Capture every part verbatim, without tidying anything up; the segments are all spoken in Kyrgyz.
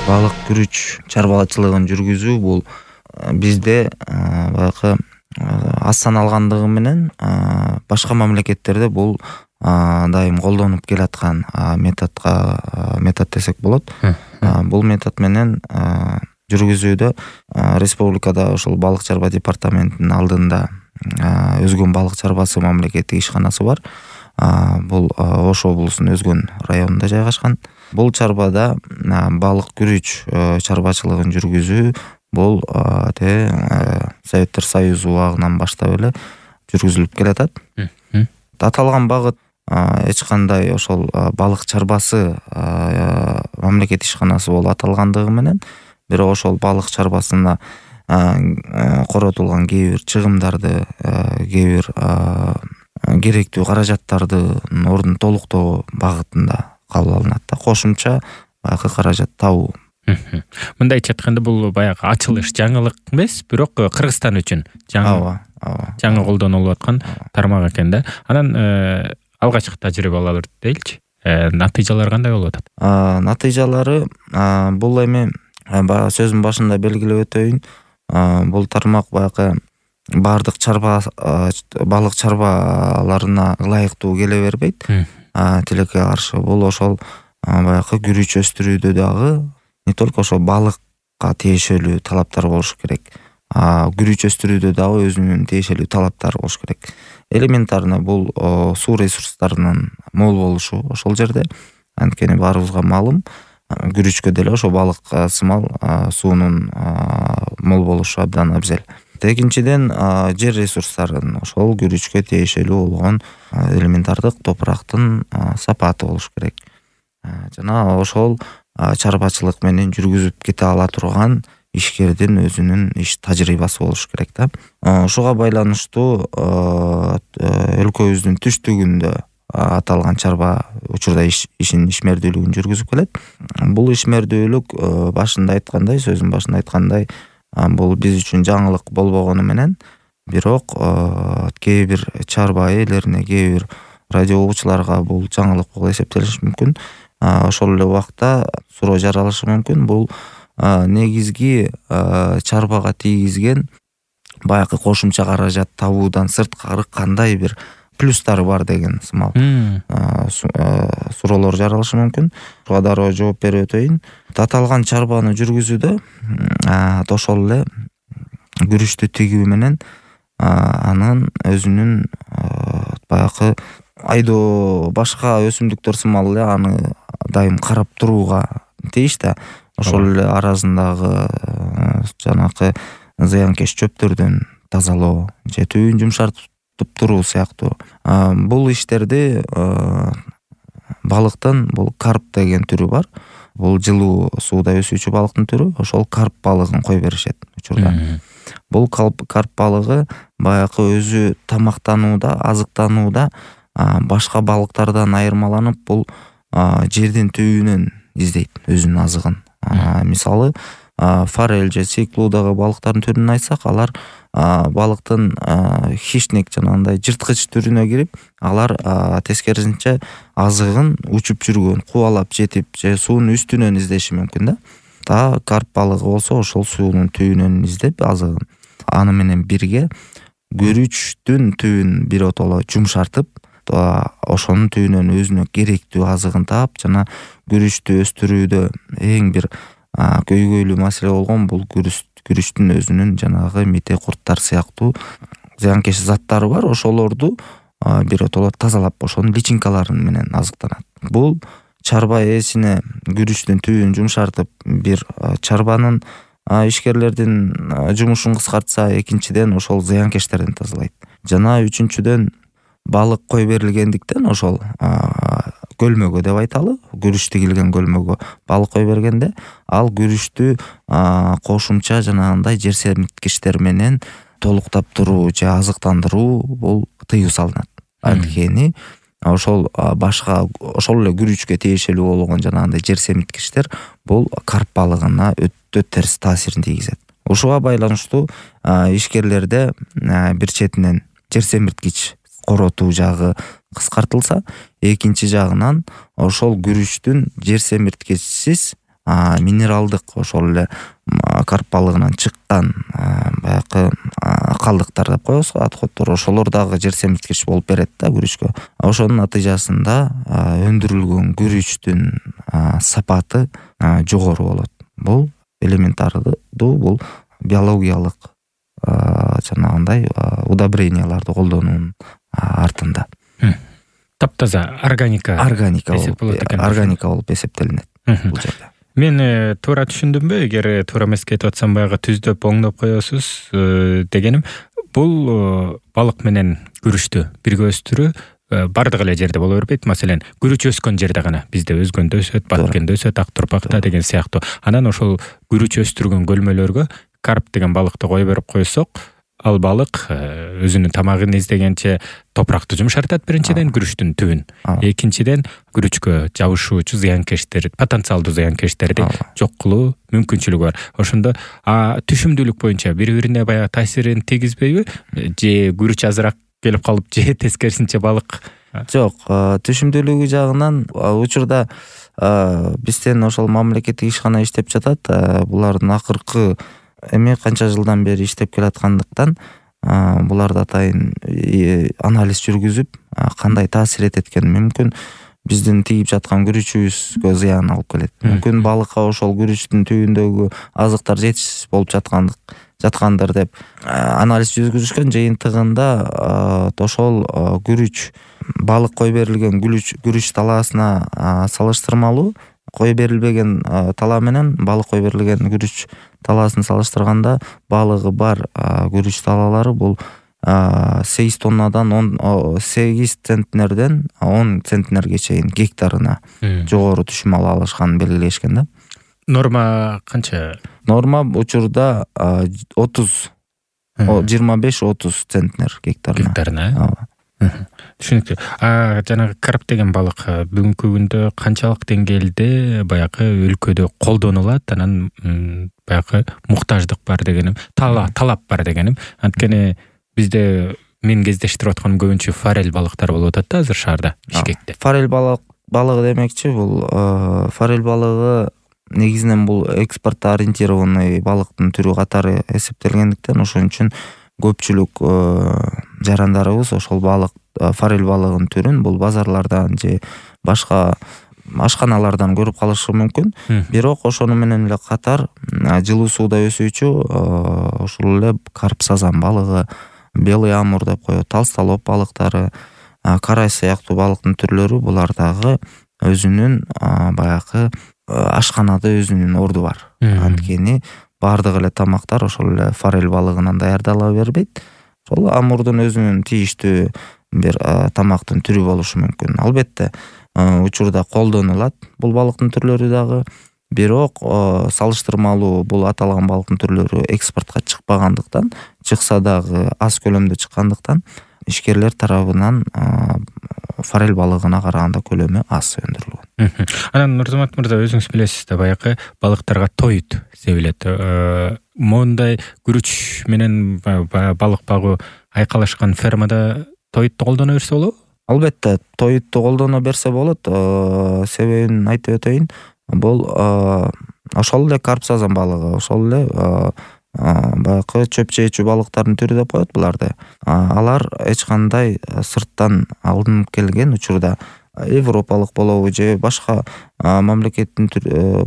балык күрүч чарбачылыгын жүргүзүү бул бизде баягы аз саналгандыгы менен башка мамлекеттерде бул дайым колдонуп келаткан методко метод десек болот. Бул метод менен жүргүзүүдө республикада ошол балык чарба департаментинин алдында Өзгөн балык чарбасы мамлекеттик ишканасы бар. Бул Ош облусунун Өзгөн районунда жайгашкан. Бул чарбада балык күрүч чарбачылыгын жүргүзүү бул те Советтер Союзу убагынан баштап эле жүргүзүлүп келатат. Аталган багыт эч кандай ошол балык чарбасы мамлекет ишканасы болуп аталгандыгы менен бирок ошол балык чарбасына коротулган кээ бир чыгымдарды, кээ бир керектүү каражаттардын ордун толуктоо багытында кабыл алынат да, кошумча баягы каражат табуу. Мындайча айтканда бул баягы ачылыш жаңылык эмес, бирок Кыргызстан үчүн жаңы жаңы колдонулуп аткан тармак экен да. Анан алгачкы тажрыйбалар дейли, натыйжалар кандай болуп атат? Натыйжалары бул эми сөзүн башында белгилеп өтөйүн. Бул тармак баягы бардык чарба балык чарбаларына ылайыктуу келе бербейт. Тилекке каршы бул ошол баягы күрүч өстүрүүдө дагы не только ошо балыкка тиешелүү талаптар болуш керек. Күрүч өстүрүүдө дагы өзүнүн тиешелүү талаптары болуш керек. Элементарно бул суу ресурстарынын мол болушу ошол жерде. Анткени баарыбызга маалым, күрүчкө деле ошо балык сымал суунун мол болушу абдан абзел. Экинчиден, жер ресурстарынын ошол күрүчкө тиешелүү болгон элементардык топурактын сапаты болуш керек. Жана ошол чарбачылык менен жүргүзүп кете ала турган ишкердин өзүнүн иш тажрыйбасы болуш керек да. Ошого байланыштуу өлкөбүздүн түштүгүндө аталган чарба учурда ишин ишмердүүлүгүн жүргүзүп келет. Бул ишмердүүлүк башында айткандай, сөзүн башында айткандай, бул биз үчүн жаңылык болбогону менен, бирок кээ бир чарба ээлерине, кээ бир радио угуучуларга бул жаңылык болуп эсептелиши мүмкүн. Ошол эле убакта суроо жаралышы мүмкүн. Бул негизги чарбага тийгизген баягы кошумча каражат табуудан сырткары кандай бир плюстары бар деген сымал суроолор жаралышы мүмкүн. Буга дароо жооп берип өтөйүн. Аталган чарбаны жүргүзүүдө ошол эле күрүчтү тигүү менен анын өзүнүн баягы айдоо башка өсүмдүктөр сымал эле аны дайым карап турууга тийиш да. Ошол эле аразындагы жанакы зыянкеч чөптөрдөн тазалоо же түбүн жумшартып туруу сыяктуу бул иштерди балыктын бул карп деген түрү бар. Бул жылуу сууда өсүүчү балыктын түрү. Ошол карп балыгын кой беришет учурда. Бул карп балыгы баягы өзү тамактанууда, азыктанууда башка балыктардан айырмаланып, бул жердин түбүнөн издейт өзүнүн азыгын. Мисалы, форель же циклудагы балыктардын түрүн айтсак, алар балыктын хищник жанагындай жырткыч түрүнө кирип, алар тескерисинче азыгын учуп жүргөн, кубалап жетип же суунун үстүнөн издеши мүмкүн да. Та карп балыгы болсо ошол суунун түбүнөн издеп азыгын. Аны менен бирге күрүчтүн түбүн биротоло жумшартып, ошонун түбүнөн өзүнө керектүү азыгын таап, жана күрүчтү өстүрүүдө эң бир көйгөйлүү маселе болгон бул күрүчтүн өзүнүн жанагы мите, курттар сыяктуу зыянкеч заттары бар. Ошолорду биротоло тазалап, ошонун личинкалары менен азыктанат. Бул чарба ээсине күрүчтүн түбүн жумшартып, бир чарбанын ишкерлердин жумушун кыскартса, экинчиден ошол зыянкечтерден тазалайт. Жана үчүнчүдөн балык кой берилгендиктен ошол көлмөгө деп айталы, күрүч тигилген көлмөгө балык кой бергенде, ал күрүчтү кошумча жанагындай жер семирткичтер менен толуктап туруу же азыктандыруу бул тыюу салынат. Анткени ошол башка ошол эле күрүчкө тиешелүү болгон жанагындай жер семирткичтер бул карп балыгына өтө терс таасирин тийгизет. Ушуга байланыштуу ишкерлерде бир четинен жер семирткич коротуу жагы кыскартылса, экинчи жагынан ошол күрүчтүн жер семирткичсиз минералдык ошол эле карп балыгынан чыккан баягы калдыктар деп коебуз, отходдор, ошолор дагы жер семирткич болуп берет да күрүчкө. Ошонун натыйжасында өндүрүлгөн күрүчтүн сапаты жогору болот. Бул элементардуу, бул биологиялык жанагындай удобренияларды колдонуунун артында. Таптаза органика органика органика болуп эсептелинет бул жерде. Мен туура түшүндүмбү? Эгер туура эмес кетип атсам, баягы түздөп оңдоп коесуз дегеним, бул балык менен күрүчтү бирге өстүрүү бардык эле жерде боло бербейт. Маселен, күрүч өскөн жерде гана, бизде өзгөндө өсөт, Баткенде өсөт, Ак Турпакта деген сыяктуу. Анан ошол күрүч өстүргөн көлмөлөргө карп деген балыкты кое берип койсок, ал балык өзүнүн тамагын издегенче топуракты жумшартат биринчиден, күрүчтүн түбүн. Экинчиден, күрүчкө жабышуучу зыянкечтер, потенциалдуу зыянкечтерди жок кылуу мүмкүнчүлүгү бар. Ошондо түшүмдүүлүк боюнча бири-бирине баягы таасирин тийгизбейби? Же күрүч азыраак келип калып, же тескерисинче балык? Жок, түшүмдүүлүгү жагынан учурда бизден ошол мамлекеттик ишкана иштеп жатат. Булардын акыркы эми канча жылдан бери иштеп келаткандыктан буларды атайын анализ жүргүзүп, кандай таасир этет экен, мүмкүн биздин тийип жаткан күрүчүбүзгө зыян алып келет. Мүмкүн балыкка ошол күрүчтүн түбүндөгү азыктар жетишсиз болуп жаткандык жаткандыр деп анализ жүргүзүшкөн. Жыйынтыгында ошол күрүч балык кой берилген күрүч талаасына салыштырмалуу, кой берилбеген талаа менен балык кой берилген күрүч талаасын салыштырганда балыгы бар күрүч талаалары бул сегиз тоннадан сегиз центнерден он центнерге чейин гектарына жогору түшүм ала алышканын белгилешкен да. Норма канча? Норма учурда отуз жыйырма беш отуз центнер гектарына. Гектарына. Түшүнүктүү. А жанагы карп деген балык бүгүнкү күндө канчалык деңгээлде баягы өлкөдө колдонулат, анан баягы муктаждык бар дегеним, талап бар дегеним. Анткени бизде мен кездештирип атканым көбүнчө форель балыктар болуп атат да азыр шаарда, Бишкекте. Форель балык балыгы демекчи, бул форель балыгы негизинен бул экспортко ориентированный балыктын түрү катары эсептелгендиктен, ошон үчүн көпчүлүк жарандарыбыз ошол балык, форель балыгынын түрүн бул базарлардан же башка ашканалардан көрүп калышы мүмкүн. Бирок ошону менен эле катар жылуу сууда өсүүчү ошол эле карп сазан балыгы, белый амур деп коет, толстолоб балыктары, карай сыяктуу балыктын түрлөрү, булар дагы өзүнүн баягы ашканада өзүнүн орду бар. Анткени бардык эле тамактар ошол эле форель балыгынан даярдала бербейт. Ошол амурдун өзүнүн тийиштүү бир тамактын түрү болушу мүмкүн. Албетте учурда колдонулат бул балыктын түрлөрү дагы, бирок салыштырмалуу бул аталган балыктын түрлөрү экспортко чыкпагандыктан, чыкса дагы аз көлөмдө чыккандыктан, ишкерлер тарабынан форель балыгына караганда көлөмү аз өндүрүлгөн. Анан Нурзамат мырза, өзүңүз билесиз да, баягы балыктарга тоют себилет. Мондай күрүч менен балык багуу айкалашкан фермада тоютты колдоно берсе болобу? Албетте, тоютту колдоно берсе болот. Себебин айтып өтөйүн. Бул ошол эле карп сазан балыгы, ошол эле баягы чөп жеүүчү балыктардын түрү деп коет буларды. Алар эч кандай сырттан алынып келген, учурда европалык болобу же башка мамлекеттин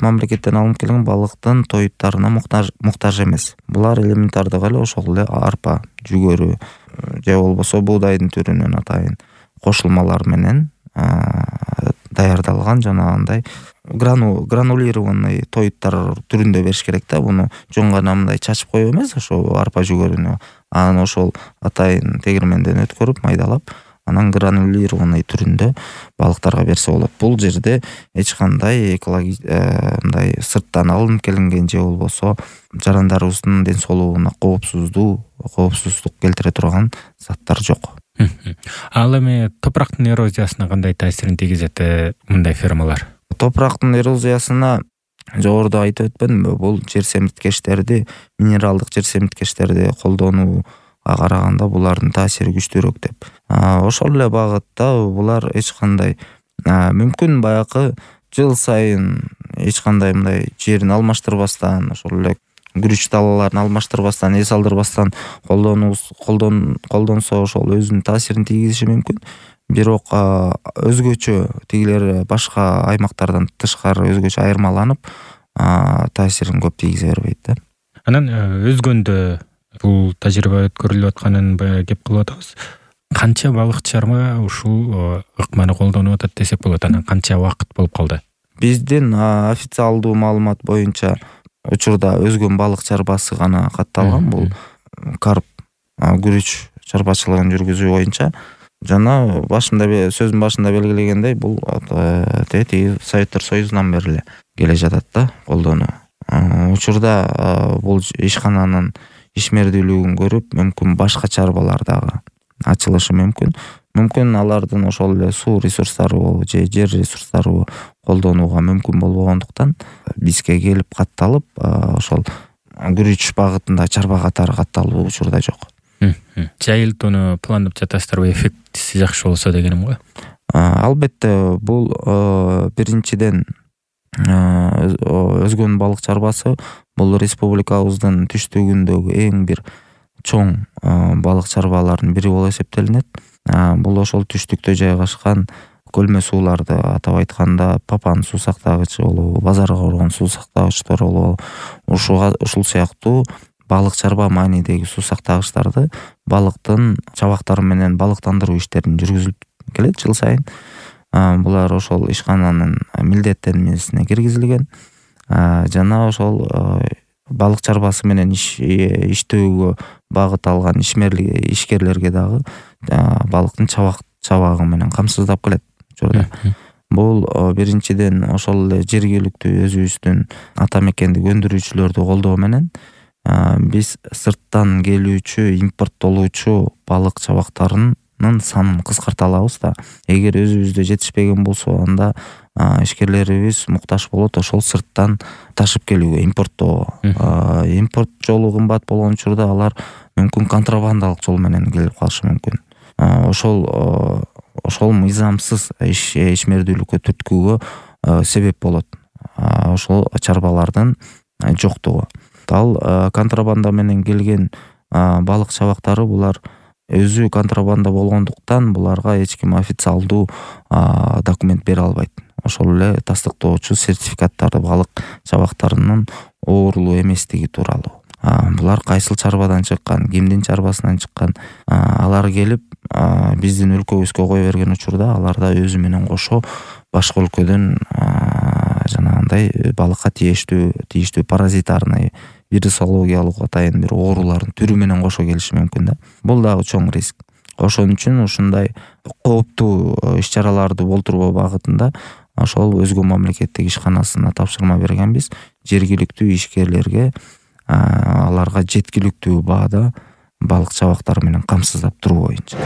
мамлекеттен алынып келген балыктын тоюттарына муктаж муктаж эмес. Булар элементардык эле ошол эле арпа, жүгөрү же болбосо буудайдын түрүнөн атайын кошулмалар менен даярдалган жанагындай гранулированный тоюттар түрүндө бериш керек да. Буну жөн гана мындай чачып коюп эмес, ошо арпа жүгөрүнү анан ошол атайын тегирменден өткөрүп майдалап, анан гранулированный түрүндө балыктарга берсе болот. Бул жерде эч кандай экологик мындай сырттан алынып келинген же болбосо жарандарыбыздын ден соолугуна коопсуздуу коопсуздук келтире турган заттар жок. Ал эми топурактын эрозиясына кандай таасирин тийгизет мындай фермалар? Топурактын эрозиясына жогоруда айтып өтпөдүмбү? Бул жер семирткечтерди, минералдык жер семирткечтерди колдонууга караганда булардын таасири күчтүүрөөк деп. Ошол эле багытта булар эч кандай мүмкүн баягы жыл сайын эч кандай мындай жерин алмаштырбастан, ошол эле күрүч далаларын алмаштырбастан, эс алдырбастан колдонсо ошол өзүнүн таасирин тийгизиши мүмкүн. Бирок өзгөчө тигилер башка аймактардан тышкары өзгөчө айырмаланып, таасирин көп тийгизе бербейт да. Анан өзгөндө бул тажрыйба өткөрүлүп атканын кеп кылып атабыз. Канча балыкчарма ушул ыкманы колдонуп атат десек болот? Анан канча убакыт болуп калды? Биздин официалдуу маалымат боюнча учурда өзгөн балык чарбасы гана катталган. Бул карп, күрүч чарбачылыгын жүргүзүү боюнча. Жана башында сөздүн башында белгилегендей, бул тети Советтер Союзунан бери эле келе жатат да колдонуу. Учурда бул ишкананын ишмердүүлүгүн көрүп, мүмкүн башка чарбалар дагы ачылышы мүмкүн. Мүмкүн алардын ошол эле суу ресурстары же жер ресурстары колдонууга мүмкүн болбогондуктан бизге келип катталып, ошол күрүч багытында чарба катары катталуу учурда жок. Жайылтууну пландап жатасыздарбы, эффектиси жакшы болсо дегеним го? Албетте, бул биринчиден өзгөн балык чарбасы бул республикабыздын түштүгүндөгү эң бир чоң балык чарбалардын бири болуп эсептелинет. Бул ошол түштүктө жайгашкан көлмө сууларды, атап айтканда Папан суу сактагычы болобу, Базарга коргон суу сактагычтар болобу, ушул сыяктуу балык чарба маанидеги суу сактагычтарды балыктын чабактары менен балыктандыруу иштерин жүргүзүлүп келет жыл сайын. Булар ошол ишкананын милдеттенмесине киргизилген. Жана ошол балык чарбасы менен иштөөгө багыт алган ишкерлерге дагы балыктын чабагы менен камсыздап келет учурда. Бул биринчиден ошол эле жергиликтүү өзүбүздүн ата мекендик өндүрүүчүлөрдү колдоо менен биз сырттан келүүчү, импорттолуучу балык чабактарынын санын кыскарта алабыз да. Эгер өзүбүздө жетишпеген болсо, анда ишкерлерибиз муктаж болот ошол сырттан ташып келүүгө, импорттоого. Импорт жолу кымбат болгон учурда алар мүмкүн контрабандалык жол менен келип калышы мүмкүн. Ошол ошол мыйзамсыз ишмердүүлүккө түрткүүгө себеп болот. Ошол чарбалардын жоктугу. Ал контрабанда менен келген балык чабактары булар өзү контрабанда болгондуктан буларга эч ким официалдуу документ бере албайт. Ошол эле тастыктоочу сертификаттарды балык чабактарынын оорулуу эместиги тууралуу. Булар кайсыл чарбадан чыккан, кимдин чарбасынан чыккан, алар келип биздин өлкөбүзгө кое берген учурда аларда өзү менен кошо башка өлкөдөн жанагындай балыкка тийиштүү тийиштүү паразитарный, вирусологиялык атайын бир оорулардын түрү менен кошо келиши мүмкүн да. Бул дагы чоң риск. Ошон үчүн ушундай кооптуу иш-чараларды болтурбоо багытында ошол өзгө мамлекеттик ишканасына тапшырма бергенбиз. Жергиликтүү ишкерлерге аларга жеткиликтүү баада балык чабактары менен камсыздап туруу боюнча.